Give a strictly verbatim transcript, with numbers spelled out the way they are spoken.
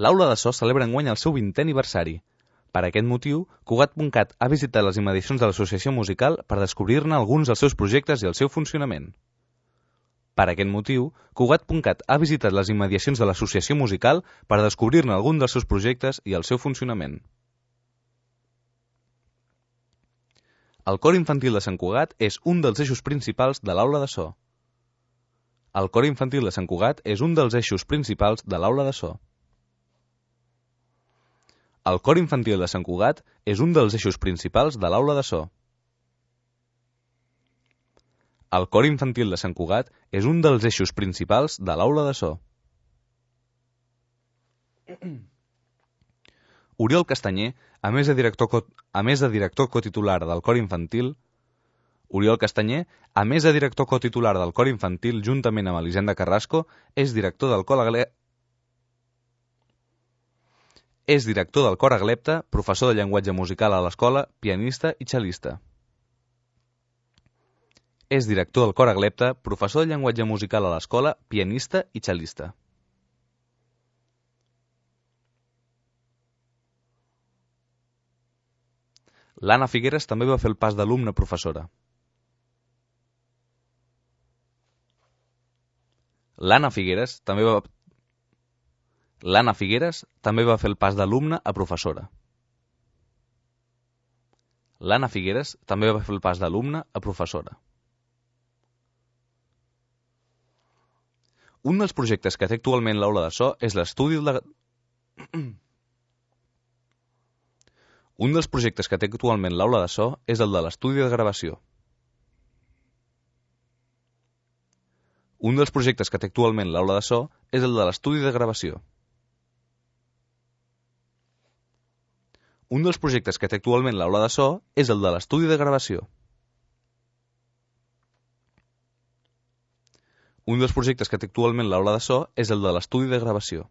L'aula de so celebra enguany el seu vintè aniversari. Per aquest motiu, Cugat punt cat ha visitat les immediacions de l'associació musical per descobrir-ne alguns dels seus projectes i el seu funcionament. Per aquest motiu, Cugat punt cat ha visitat les immediacions de l'associació musical per descobrir-ne algun dels seus projectes i el seu funcionament. El cor infantil de Sant Cugat és un dels eixos principals de l'aula de so. El cor infantil de Sant Cugat és un dels eixos principals de l'aula de so. El cor infantil de Sant Cugat és un dels eixos principals de l'aula de so. El cor infantil de Sant Cugat és un dels eixos principals de l'aula de so. Oriol Castanyer, a més de director, co a més de director cotitular del cor infantil, Oriol Castanyer, a més de director cotitular del cor infantil juntament amb Elisenda Carrasco, és director del cor Agle... és director del cor Aglepta, professor de llenguatge musical a l'escola, pianista i cel·lista. És director del cor Aglepta, professor de llenguatge musical a l'escola, pianista i cel·lista. L'Anna Figueres també va fer el pas d'alumne a professora. L'Anna Figueres també va... L'Anna Figueres també va fer el pas d'alumne a professora. L'Anna Figueres també va fer el pas d'alumne a professora. Un dels projectes que té actualment l'aula de so és l'estudi de... Un dels projectes que té actualment l'aula de so és el de l'estudi de gravació. Un dels projectes que té actualment l'aula de so és el de l'estudi de gravació. Un dels projectes que té actualment l'aula de so és el de l'estudi de gravació. Un dels projectes que té actualment l'aula de so és el de l'estudi de gravació.